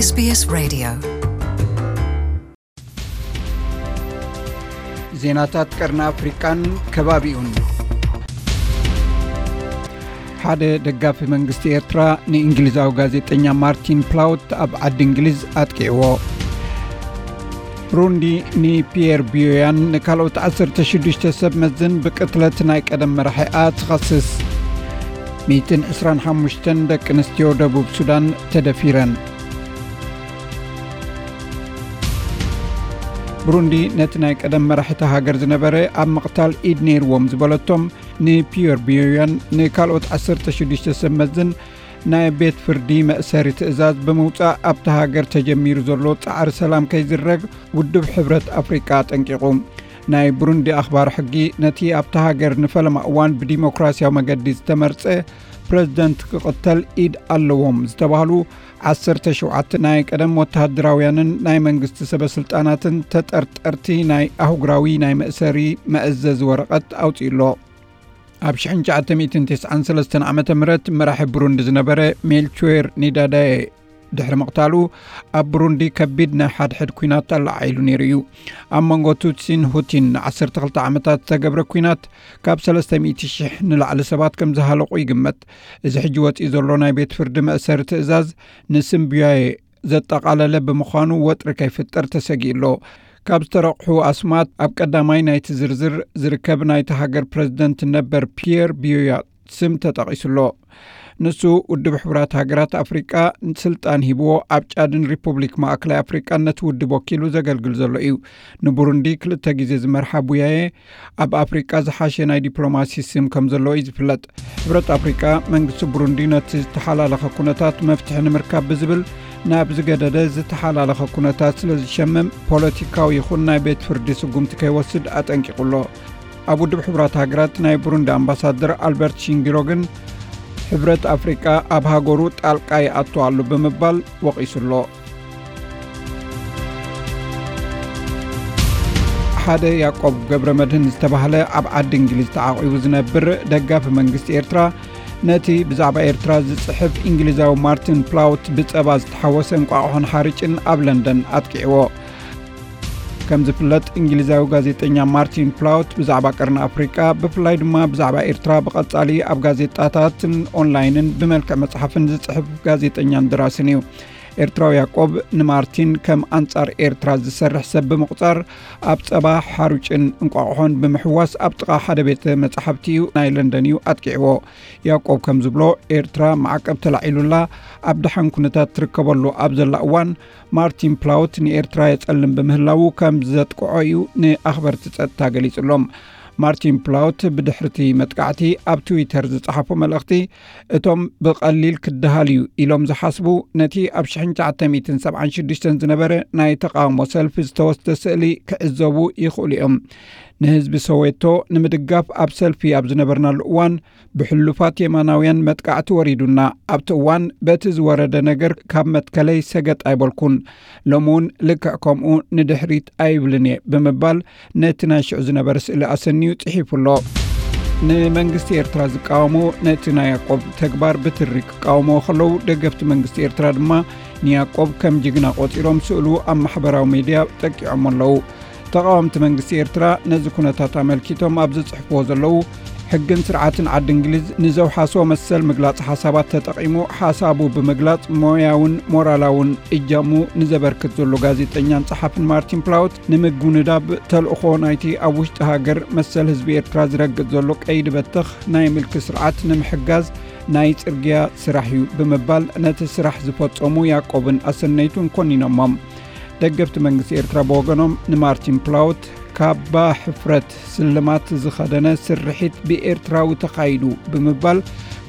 SBS Radio. ዜናታት ቀርኒ ኣፍሪቃን ከባቢኡን። ሓደ ደጋፊ መንግስቲ ኤርትራ ንእንግሊዛዊ ጋዜጠኛ ማርቲን ፕላውት ኣብ ዓዲ እንግሊዝ ኣጥቂዕዎ። ብሩንዲ ንፒየር ቢዮያን ንካልኦት ዓሰርተ ሽዱሽተ ሰብ መዝን ብቅትለት ናይ ቀደም መራሒኣ ትኸስስ። ሚእትን ዕስራን ሓሙሽተን ደቂ ኣንስትዮ ደቡብ ሱዳን ተደፊረን። ብሩንዲ ነቲ ናይ ቀደም መራሒ እታ ሃገር ዝነበረ ኣብ ምቕታል ኢድ ነይርዎም ዝበለቶም ንፒየር ቢዮያን ንካልኦት ዓሰርተ ሽዱሽተ ሰብ መዝን ናይ ቤት ፍርዲ መእሰሪ ትእዛዝ ብምውጻእ ኣብታ ሃገር ተጀሚሩ ዘሎ ጻዕሪ ሰላም ከይዝረግ ውድብ ሕብረት ኣፍሪቃ ኣጠንቂቑ። ናይ ብሩንዲ ኣኽባር ሕጊ ነቲ ኣብታ ሃገር ንፈለማ እዋን ብዲሞክራሲያዊ መገዲ ዝተመርጸ ፕረዚደንት ክቕተል ኢድ ኣለዎም ዝተባህሉ ዓሰርተ ሸውዓተ ናይ ቀደም ወተሃደራውያንን ናይ መንግስቲ ሰበ ስልጣናትን ተጠርጠርቲ ናይ ኣህጉራዊ ናይ መእሰሪ መእዘዚ ወረቐት ኣውጺኡ ኣሎ። ኣብ ሽሕን ትሽዓተ ሚእትን ተስዓን ሰለስተን ዓመተ ምህረት መራሒ ብሩንዲ ዝነበረ ሜልቹዌር ኒዳዳየ ድሕሪ ምቕታሉ ኣብ ብሩንዲ ከቢድ ናይ ሓድሕድ ኲናት ኣለዓዒሉ ነይሩ እዩ። ኣብ መንጎ ቱትሲን ሁቲን ንዓሰርተ ክልተ ዓመታት ዝተገብረ ኲናት ካብ ሰለስተ ሚእቲ ሽሕ ንላዕሊ ሰባት ከም ዝሃለቑ ይግመት። እዚ ሕጂ ወጺኡ ዘሎ ናይ ቤት ፍርዲ መእሰሪ ትእዛዝ ንስምብያየ ዘጠቓለለ ብምዃኑ ወጥሪ ከይፍጠር ተሰጊኡ ኣሎ። ካብ ዝተረቑሑ ኣስማት ኣብ ቀዳማይ ናይቲ ዝርዝር ዝርከብ ናይቲ ሃገር ፕረዚደንት ነበር ፒየር ቢዮያ ስም ተጠቒሱ ኣሎ። ንሱ ውድብ ሕቡራት ሃገራት ኣፍሪቃ ስልጣን ሂብዎ ኣብ ጫድን ሪፑብሊክ ማእከላይ ኣፍሪቃን ነቲ ውድብ ወኪሉ ዘገልግል ዘሎ እዩ። ንቡሩንዲ ክልተ ግዜ ዝመርሓ ቡያየ ኣብ ኣፍሪቃ ዝሓሸ ናይ ዲፕሎማሲ ስም ከም ዘለዎ እዩ ዝፍለጥ። ሕብረት ኣፍሪቃ መንግስቲ ቡሩንዲ ነቲ ዝተሓላለኸ ኩነታት መፍትሒ ንምርካብ ብዝብል ናብ ዝገደደ ዝተሓላለኸ ኩነታት ስለ ዝሸምም ፖለቲካዊ ይኹን ናይ ቤት ፍርዲ ስጉምቲ ከይወስድ ኣጠንቂቑ ኣሎ። ኣብ ውድብ ሕቡራት ሃገራት ናይ ብሩንዲ ኣምባሳደር ኣልበርት ሺንጊሮ ግን ሕብረት ኣፍሪቃ ኣብ ሃገሩ ጣልቃ ይኣቱ ኣሎ ብምባል ወቒሱ ኣሎ። ሓደ ያዕቆብ ገብረ መድህን ዝተባህለ ኣብ ዓዲ እንግሊዝ ተዓቒቡ ዝነብር ደጋፊ መንግስቲ ኤርትራ ነቲ ብዛዕባ ኤርትራ ዝጽሕፍ እንግሊዛዊ ማርቲን ፕላውት ብጸባ ዝተሓወሰ እንቋቑሖን ሓርጭን ኣብ ለንደን ኣጥቂዕዎ። ከም ዝፍለጥ እንግሊዛዊ ጋዜጠኛ ማርቲን ፕላውት ብዛዕባ ቀርኒ ኣፍሪቃ ብፍላይ ድማ ብዛዕባ ኤርትራ ብቐጻሊ ኣብ ጋዜጣታትን ኦንላይንን ብመልክዕ መጽሓፍን ዝጽሕፍ ጋዜጠኛን ደራስን እዩ። ኤርትራዊ ያዕቆብ ንማርቲን ከም ኣንጻር ኤርትራ ዝሰርሕ ሰብ ብምቑጻር ኣብ ጸባ ሓሩጭን እንቋቑሖን ብምሕዋስ ኣብ ጥቓ ሓደ ቤተ መጻሕፍቲ እዩ ናይ ለንደን እዩ ኣጥቂዕዎ። ያዕቆብ ከም ዝብሎ ኤርትራ ማዕቀብ ተላዒሉላ ኣብ ደሓን ኩነታት ትርከበሉ ኣብ ዘላ እዋን ማርቲን ፕላውት ንኤርትራ የጸልም ብምህላዉ ከም ዘጥቅዖ እዩ ንኣኽበርቲ ጸጥታ ገሊጹሎም። ማርቲን ፕላውት ብድሕርቲ መጥቃዕቲ ኣብ ትዊተር ዝጸሓፎ መልእኽቲ እቶም ብቐሊል ክደሃል እዩ ኢሎም ዝሓስቡ ነቲ ኣብ ሽሕን ትሽዓተ ሚእትን ሰብዓን ሽዱሽተን ዝነበረ ናይ ተቓውሞ ሰልፊ ዝተወስደ ስእሊ ክዕዘቡ ይኽእሉ እዮም። ንህዝቢ ሶዌቶ ንምድጋፍ ኣብ ሰልፊ ኣብ ዝነበርናሉ እዋን ብሕሉፋት የማናውያን መጥቃዕቲ ወሪዱና ኣብቲ እዋን በቲ ዝወረደ ነገር ካብ መትከለይ ሰገጥ ኣይበልኩን። ሎሚ እውን ልክዕ ከምኡ ንድሕሪት ኣይብልን እየ ብምባል ነቲ ናይ ሽዑ ዝነበረ ስእሊ ኣሰንዩ ጽሒፉ ኣሎ። ንመንግስቲ ኤርትራ ዝቃወሙ ነቲ ናይ ያዕቆብ ተግባር ብትሪ ክቃወምዎ ከለዉ ደገፍቲ መንግስቲ ኤርትራ ድማ ንያዕቆብ ከም ጅግና ቆጺሮም ስእሉ ኣብ ማሕበራዊ ሜድያ ጠቂዖም ኣለዉ። ተቓወምቲ መንግስቲ ኤርትራ ነዚ ኩነታት ኣመልኪቶም ኣብ ዝጽሕፍዎ ዘለዉ ሕግን ስርዓትን ዓዲ እንግሊዝ ንዘውሓሶ መሰል ምግላጽ ሓሳባት ተጠቒሙ ሓሳቡ ብምግላጽ ሞያውን ሞራላውን እጃሙ ንዘበርክት ዘሎ ጋዜጠኛን ጸሓፍን ማርቲን ፕላውት ንምጉንዳብ ተልእኾ ናይቲ ኣብ ውሽጢ ሃገር መሰል ህዝቢ ኤርትራ ዝረግጥ ዘሎ ቀይዲ በተኽ ናይ ምልኪ ስርዓት ንምሕጋዝ ናይ ጽርግያ ስራሕ እዩ ብምባል ነቲ ስራሕ ዝፈጸሙ ያዕቆብን ኣሰነይቱን ኮኒኖሞም። ደገፍቲ መንግስቲ ኤርትራ ብወገኖም ንማርቲን ፕላውት ካባ ሕፍረት ስልማት ዝኸደነ ስርሒት ብኤርትራዊ ተኻይዱ ብምባል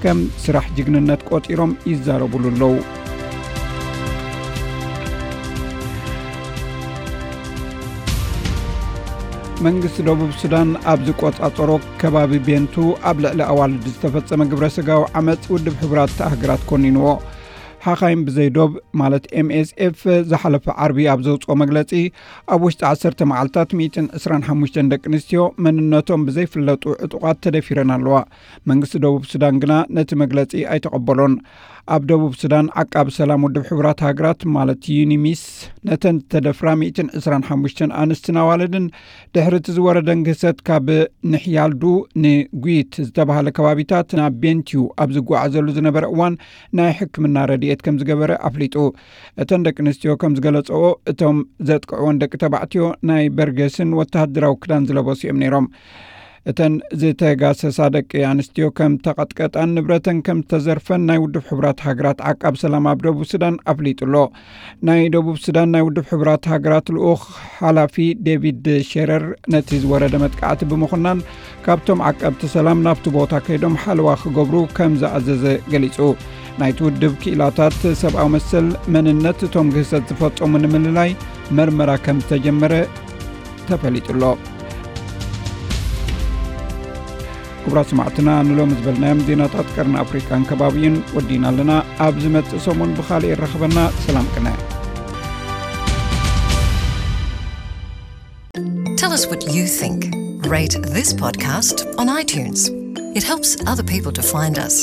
ከም ስራሕ ጅግንነት ቆጺሮም ይዛረቡሉ ኣለዉ። መንግስቲ ደቡብ ሱዳን ኣብ ዝቆጻጸሮ ከባቢ ቤንቱ ኣብ ልዕሊ ኣዋልድ ዝተፈጸመ ግብረ ስጋዊ ዓመጽ ውድብ ሕቡራት ሃገራት ኮኒንዎ። ሓኻይም ብዘይ ዶብ ማለት ኤምኤስኤፍ ዝሓለፈ ዓርቢ ኣብ ዘውፅኦ መግለፂ ኣብ ውሽጢ ዓሰርተ መዓልታት ሚእትን ዕስራን ሓሙሽተን ደቂ ኣንስትዮ መንነቶም ብዘይፍለጡ ዕጡቓት ተደፊረን ኣለዋ። መንግስቲ ደቡብ ሱዳን ግና ነቲ መግለፂ ኣይተቐበሎን። ኣብ ደቡብ ሱዳን፣ ዓቃብ ሰላም ውድብ ሕቡራት ሃገራት ማለት ዩኒሚስ፣ ነተን ዝተደፍራ ሚእትን ዕስራን ሓሙሽተን ኣንስትን ኣዋልድን ድሕሪ እቲ ዝወረደን ግህሰት ካብ ንሕያልዱ ንጉይት ዝተባህለ ከባቢታት ናብ ቤንቲዩ ኣብ ዝጓዓዘሉ ዝነበረ እዋን ናይ ሕክምና ረድኤት ከም ዝገበረ ኣፍሊጡ። እተን ደቂ ኣንስትዮ ከም ዝገለጸኦ፣ እቶም ዘጥቅዕወን ደቂ ተባዕትዮ ናይ በርገስን ወተሃደራዊ ክዳን ዝለበሱ እዮም ነይሮም። እተን ዝተጋሰሳ ደቂ ኣንስትዮ ከም ተቐጥቀጣን ንብረተን ከም ዝተዘርፈን ናይ ውድብ ሕቡራት ሃገራት ዓቃብ ሰላም ኣብ ደቡብ ሱዳን ኣፍሊጡ ኣሎ። ናይ ደቡብ ሱዳን ናይ ውድብ ሕቡራት ሃገራት ልኡኽ ሓላፊ ዴቪድ ሼረር፣ ነቲ ዝወረደ መጥቃዕቲ ብምኹናን ካብቶም ዓቀብቲ ሰላም ናብቲ ቦታ ከይዶም ሓለዋ ክገብሩ ከም ዝኣዘዘ ገሊጹ። ናይቲ ውድብ ክኢላታት ሰብኣዊ መሰል፣ መንነት እቶም ግህሰት ዝፈጸሙ ንምልላይ መርመራ ከም ዝተጀመረ ተፈሊጡ ኣሎ። ክቡራት ሰማዕትና፣ ንሎሚ ዝበልናዮም ዜናታት ቀርኒ ኣፍሪቃን ከባቢኡን ወዲና ኣለና። ኣብ ዝመጽእ ሰሙን ብኻልእ ይራኸበና። ሰላም ቅነ። Tell us what you think. Rate this podcast on iTunes. It helps other people to find us.